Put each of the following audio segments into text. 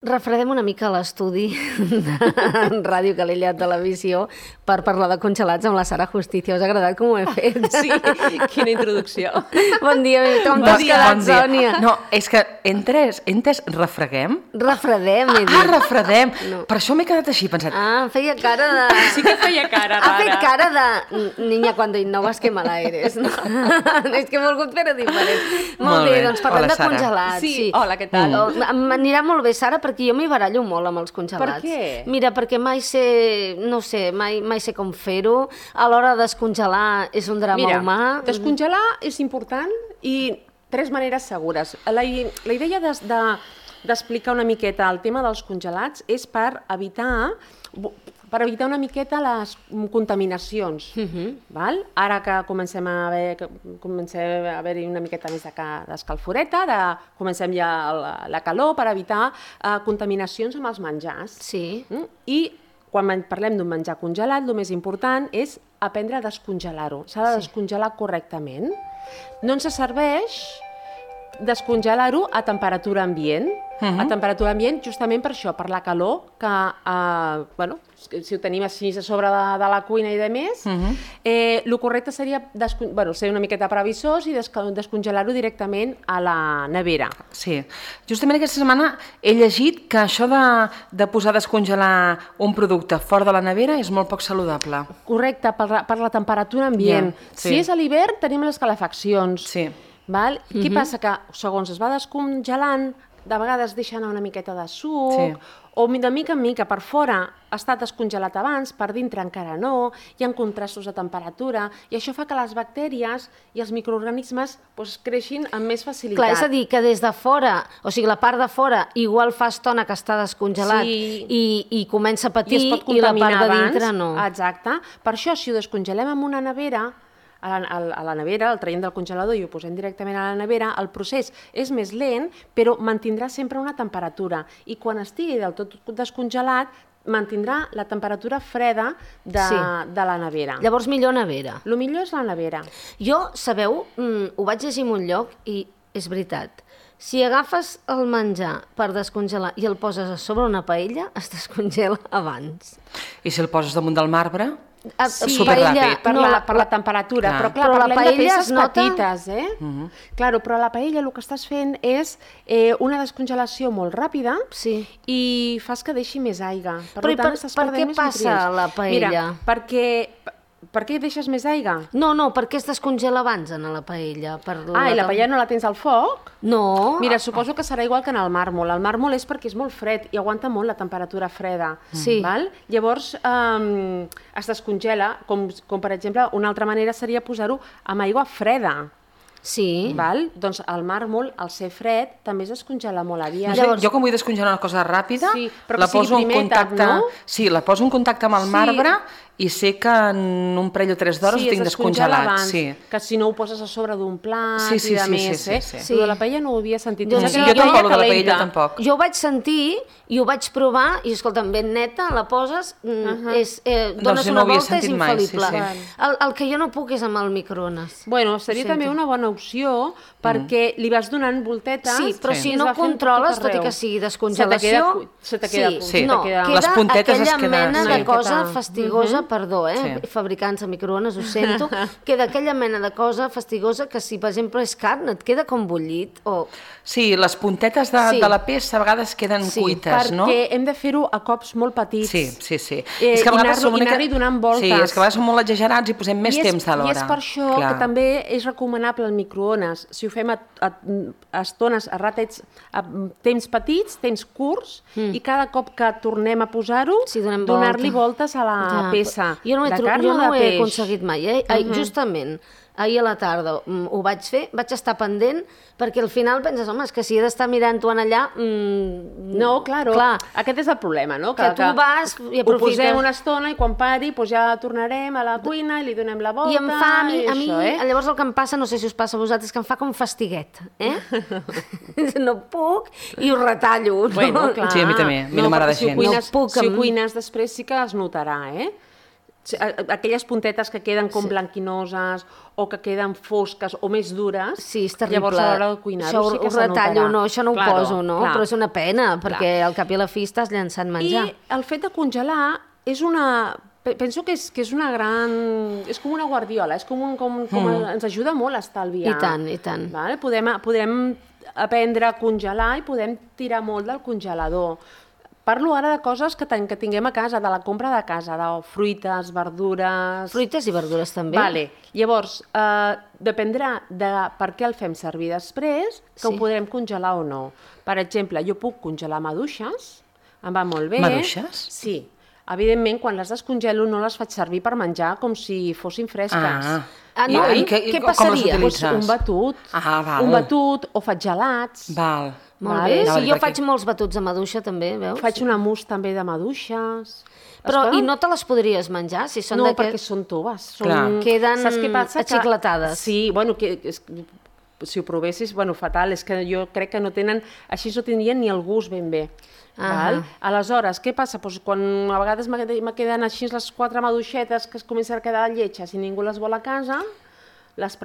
Refredem una mica l'estudi de Ràdio Calella Televisió per parlar de congelats amb la Sara Justicia. Us ha agradat com ho he fet? Sí, quina introducció. Bon dia, com t'has quedat, Sònia? No, és que entes refreguem? Refredem, he dit. Ah, refredem. No. Per això m'he quedat així, pensat. Ah, feia cara de... Sí que feia cara rara. Ha fet cara de... Niña, cuando innovas, que mala eres. No? És que he volgut fer-ho diferent. Molt bé, doncs parlem de congelats. Sí, hola, què tal? M'anirà molt bé, Sara, perquè jo m'hi barallo molt amb els congelats. Per què? Mira, perquè mai sé, no sé, mai sé com fer-ho. A l'hora de descongelar és un drama humà. Mira, descongelar és important i tres maneres segures. La idea d'explicar una miqueta el tema dels congelats és per evitar una miqueta les contaminacions. Val? Ara que comencem a haver-hi una miqueta més d'escalforeta, comencem ja la calor per evitar contaminacions amb els menjars. Sí. I quan parlem d'un menjar congelat, el més important és aprendre a descongelar-ho. S'ha de descongelar correctament. No ens serveix descongelar-ho a temperatura ambient. A temperatura ambient justament per això, per la calor, que si ho tenim així a sobre de la cuina i de més, el correcte seria ser una miqueta previsors i descongelar-ho directament a la nevera. Sí. Justament aquesta setmana he llegit que això de posar a descongelar un producte fora de la nevera és molt poc saludable. Correcte, per la temperatura ambient. Si és a l'hivern tenim les calefaccions. Sí. Val? Què passa? Que segons es va descongelant, de vegades deixa anar una miqueta de suc, o de mica en mica per fora ha estat descongelat abans, per dintre encara no, hi ha contrastos de temperatura, i això fa que les bactèries i els microorganismes creixin amb més facilitat. Clar, és a dir, que des de fora, o sigui, la part de fora igual fa estona que està descongelat i comença a patir, i la part de dintre no. Exacte. Per això, si ho descongelem en una nevera, a la nevera, el traiem del congelador i ho posem directament a la nevera, el procés és més lent, però mantindrà sempre una temperatura. I quan estigui del tot descongelat, mantindrà la temperatura freda de la nevera. Llavors, millor nevera. El millor és la nevera. Jo, sabeu, ho vaig llegir en un lloc i és veritat. Si agafes el menjar per descongelar i el poses a sobre una paella, es descongela abans. I si el poses damunt del marbre? Superràpid. Per la temperatura, però clar, parlem de peces petites, Claro, però a la paella el que estàs fent és una descongelació molt ràpida i fas que deixi més aigua. Per què passa a la paella? Mira, per què deixes més aigua? No, perquè es descongela abans en la paella. I la paella no la tens al foc? No. Mira, suposo que serà igual que en el màrmol. El màrmol és perquè és molt fred i aguanta molt la temperatura freda. Val? Llavors es descongela, com per exemple, una altra manera seria posar-ho amb aigua freda. Sí. Val? Doncs el màrmol, al ser fred, també es descongela molt aviat. Jo com vull descongelar una cosa ràpida, la poso en contacte... Sí, la poso en contacte amb el marbre i sé que en un parell o 3 d'hores ho tinc descongelat. Que si no ho poses a sobre d'un plat i de més. Lo de la paella no ho havia sentit. Jo tampoc, lo de la paella tampoc. Jo ho vaig sentir i ho vaig provar i, escolta'm, ben neta, la poses, dones una volta, és infal·lible. El que jo no puc és amb el microones. Bueno, seria també una bona opció perquè li vas donant voltetes. Sí, però si no controles, tot i que sigui descongelació... Se te queda les puntetes es queden... Queda aquella mena de cosa fastigosa, perdó, fabricants de microones, ho sento, queda aquella mena de cosa fastigosa que si, per exemple, és carn, et queda com bullit o... Sí, les puntetes de la peça a vegades queden cuites, no? Perquè hem de fer-ho a cops molt petits. Sí. I anar-hi donant voltes. Sí, és que a vegades som molt exagerats i posem més temps a l'hora. I és per això que també és recomanable el microones. Si ho fem a estones, a ràtids, a temps petits, temps curts, i cada cop que tornem a posar-ho, donar-li voltes a la peça. Jo no ho he aconseguit mai. Justament ahir a la tarda ho vaig fer, vaig estar pendent, perquè al final penses, home, és que si he d'estar mirant-ho allà... No, clar, aquest és el problema, no? Que tu vas i aprofites... Ho posem una estona i quan pari ja tornarem a la cuina i li donem la volta... I em fa a mi, llavors el que em passa, no sé si us passa a vosaltres, que em fa com fastiguet, No puc i ho retallo. Bueno, clar. Sí, a mi també, a mi no m'agrada gens. Si ho cuines després sí que es notarà, aquelles puntetes que queden com blanquinoses o que queden fosques o més dures, sí, és terrible. Llavors a l'hora de cuinar-ho sí que se notarà. Això no ho poso, no? Clar. Però és una pena, perquè al cap i a la fi estàs llançant menjar. I el fet de congelar és una... Penso que és una gran... És com una guardiola, és ens ajuda molt a estalviar. I tant, i tant. Vale? Podem aprendre a congelar i podem tirar molt del congelador. Parlo ara de coses que tinguem a casa, de la compra de casa, de fruites, verdures... Fruites i verdures també. Vale. Llavors, dependrà de per què el fem servir després, que ho podrem congelar o no. Per exemple, jo puc congelar maduixes, em va molt bé. Maduixes? Sí. Evidentment, quan les descongelo no les faig servir per menjar com si fossin fresques. No? I què passaria? Un batut. Un batut, o faig gelats. Val. Molt bé. Sí, jo faig molts batuts de maduixa, també, veus? Faig una mousse també de maduixes. Però, i no te les podries menjar? Si són no, perquè són toves. Queden axiclatades. Sí, bueno, si ho provessis, bueno, fatal, és que jo crec que no tenen... Així no tindrien ni el gust ben bé. Aleshores, què passa? Quan a vegades me queden així les 4 maduixetes que es comencen a quedar lletges i ningú les vol a casa, les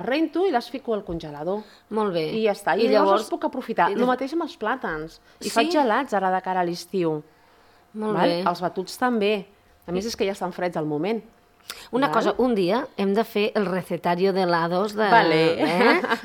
rento i les fico al congelador. Molt bé. I ja està. I llavors els puc aprofitar. El mateix amb els plàtans. I faig gelats ara de cara a l'estiu. Molt bé. Els batuts també. A més, és que ja estan freds al moment. Una cosa, un dia hem de fer el recetario de helados de...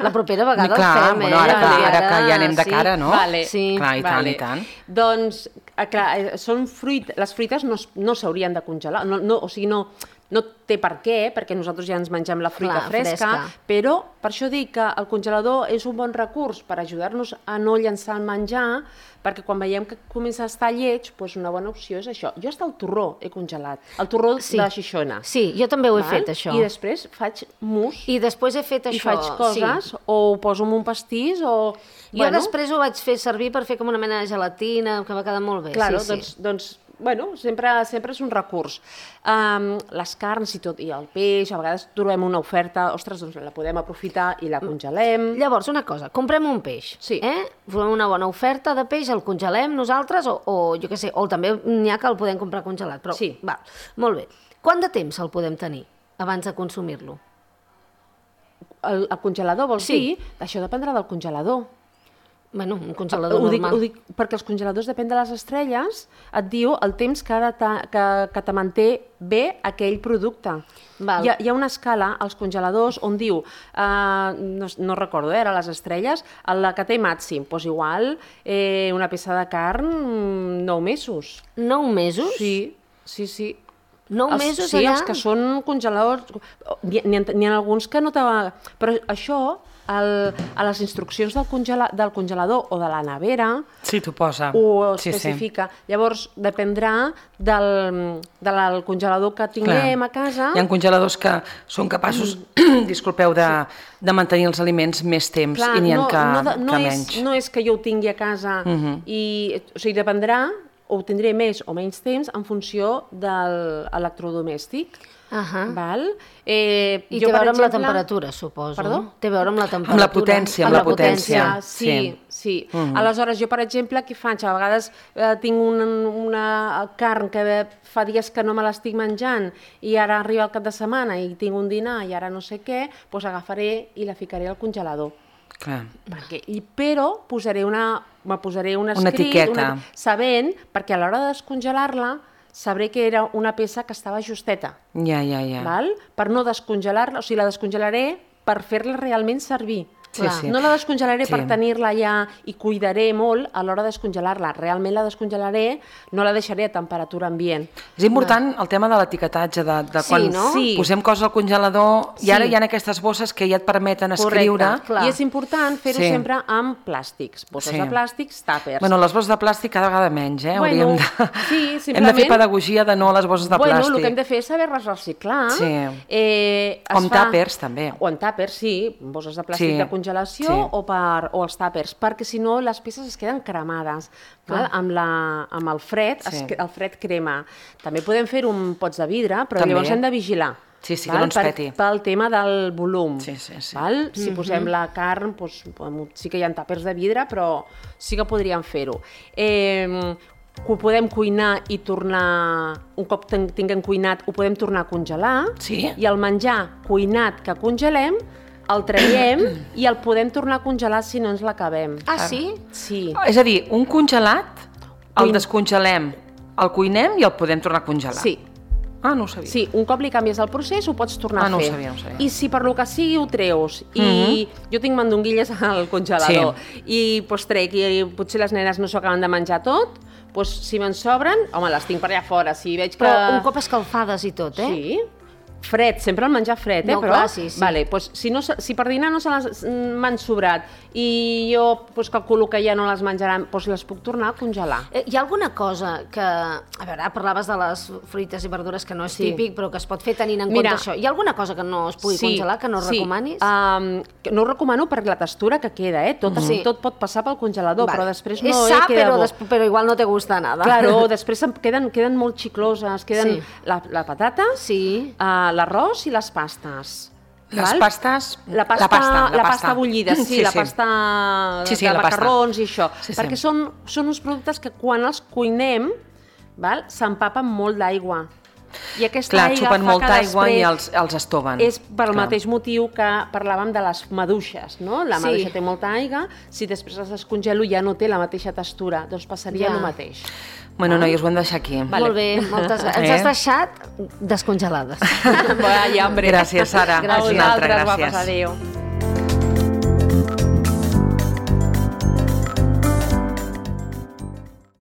La propera vegada el fem, Bueno, ara que ja anem de cara, no? Sí. Clar, i tant. Doncs, clar, les fruites no s'haurien de congelar. O sigui, no té per què, perquè nosaltres ja ens mengem la fruita fresca, però per això dic que el congelador és un bon recurs per ajudar-nos a no llançar el menjar, perquè quan veiem que comença a estar lleig, doncs una bona opció és això. Jo hasta el torró he congelat, el torró de Xixona. Sí, jo també ho he fet, això. I després faig mousse. I després he fet això. I faig coses, o ho poso en un pastís, o... Jo després ho vaig fer servir per fer com una mena de gelatina, que va quedar molt bé. Claro, doncs bueno, sempre és un recurs. Les carns i el peix, a vegades trobem una oferta, ostres, doncs la podem aprofitar i la congelem. Llavors, una cosa, comprem un peix, trobem una bona oferta de peix, el congelem nosaltres, o jo què sé, o també n'hi ha que el podem comprar congelat, però sí. Va, molt bé. Quant de temps el podem tenir abans de consumir-lo? El congelador, vols dir? Això dependrà del congelador. Bueno, un congelador normal. Ho dic perquè els congeladors, depèn de les estrelles, et diu el temps que te manté bé aquell producte. Hi ha una escala als congeladors on diu, no recordo, era les estrelles, la que té màxim, doncs igual una peça de carn, 9 mesos. 9 mesos? Sí. 9 mesos allà? Sí, els que són congeladors... N'hi ha alguns que no te... Però això... a les instruccions del congelador o de la nevera t'ho posa. Ho especifica. Llavors, dependrà del congelador que tinguem a casa. Hi ha congeladors que són capaços, disculpeu, de mantenir els aliments més temps i n'hi ha que menys. No és que jo ho tingui a casa o sigui, dependrà o ho tindré més o menys temps en funció de l'electrodomèstic. I té a veure amb la temperatura, suposo. Perdó? Té a veure amb la temperatura. Amb la potència. Sí. Aleshores, jo, per exemple, què faig? A vegades tinc una carn que fa dies que no me l'estic menjant i ara arriba el cap de setmana i tinc un dinar i ara no sé què, doncs agafaré i la ficaré al congelador. Clar. Però me posaré un escrit, etiqueta, sabent, perquè a l'hora de descongelar-la sabré que era una peça que estava justeta. Ja. Per no descongelar-la, o sigui, la descongelaré per fer-la realment servir. Sí. No la descongelaré per tenir-la ja i cuidaré molt a l'hora de descongelar-la. Realment la descongelaré, no la deixaré a temperatura ambient. És important el tema de l'etiquetatge, de quan posem coses al congelador, i ara hi ha aquestes bosses que ja et permeten escriure. I és important fer-ho sempre amb plàstics. Bosses de plàstics, tàpers. Bueno, les bosses de plàstic cada vegada menys, Hem de fer pedagogia de no a les bosses de plàstic. Bueno, el que hem de fer és saber-les reciclar. O amb tàpers, també. O amb tàpers, sí, bosses de plàstic de congelació o els tàpers, perquè si no les peces es queden cremades. Amb el fred, el fred crema. També podem fer un pots de vidre, però llavors hem de vigilar. Sí, que no ens peti. Pel tema del volum. Sí. Si posem la carn, sí que hi ha tàpers de vidre, però sí que podríem fer-ho. ho podem cuinar i tornar, un cop tinguem cuinat, ho podem tornar a congelar, i el menjar cuinat que congelem, el traiem i el podem tornar a congelar si no ens l'acabem. Ah, sí? Sí. És a dir, un congelat, el descongelem, el cuinem i el podem tornar a congelar. Sí. Ah, no ho sabia. Sí, un cop li canvies el procés ho pots tornar a fer. No ho sabia. I si per lo que sigui ho treus, i jo tinc mandonguilles al congelador, i doncs trec, i potser les nenes no s'ho acaben de menjar tot, doncs si me'n sobren, home, les tinc per allà fora, si veig que... Però un cop escalfades i tot, eh? Sí. Fred, sempre el menjar fred, no, però... Clar, sí. Vale, doncs, si per dinar no se les m'han sobrat i jo calculo que ja no les menjaran, doncs les puc tornar a congelar. Hi ha alguna cosa que... A veure, parlaves de les fruites i verdures que no és típic, però que es pot fer tenint en compte això. Hi ha alguna cosa que no es pugui congelar, que no recomanis? No ho recomano per la textura que queda, tot pot passar pel congelador, però després no queda bo. Però igual no te gusta nada. Claro, després queden molt xicloses, queden la patata, l'arròs i les pastes. Les pastes... La pasta bullida, la pasta de macarrons i això. Perquè són uns productes que quan els cuinem s'empapen molt d'aigua. I aquesta aigua xupen molta aigua i els estoven. És pel mateix motiu que parlàvem de les maduixes, no? La maduixa té molta aigua, si després les descongelo ja no té la mateixa textura, doncs passaria el mateix. Bueno, noies, ho hem de deixar aquí. Molt bé, moltes gràcies. Ens has deixat descongelades. Vaya, hombre. Gràcies, Sara. Gràcies. Gràcies. Adéu.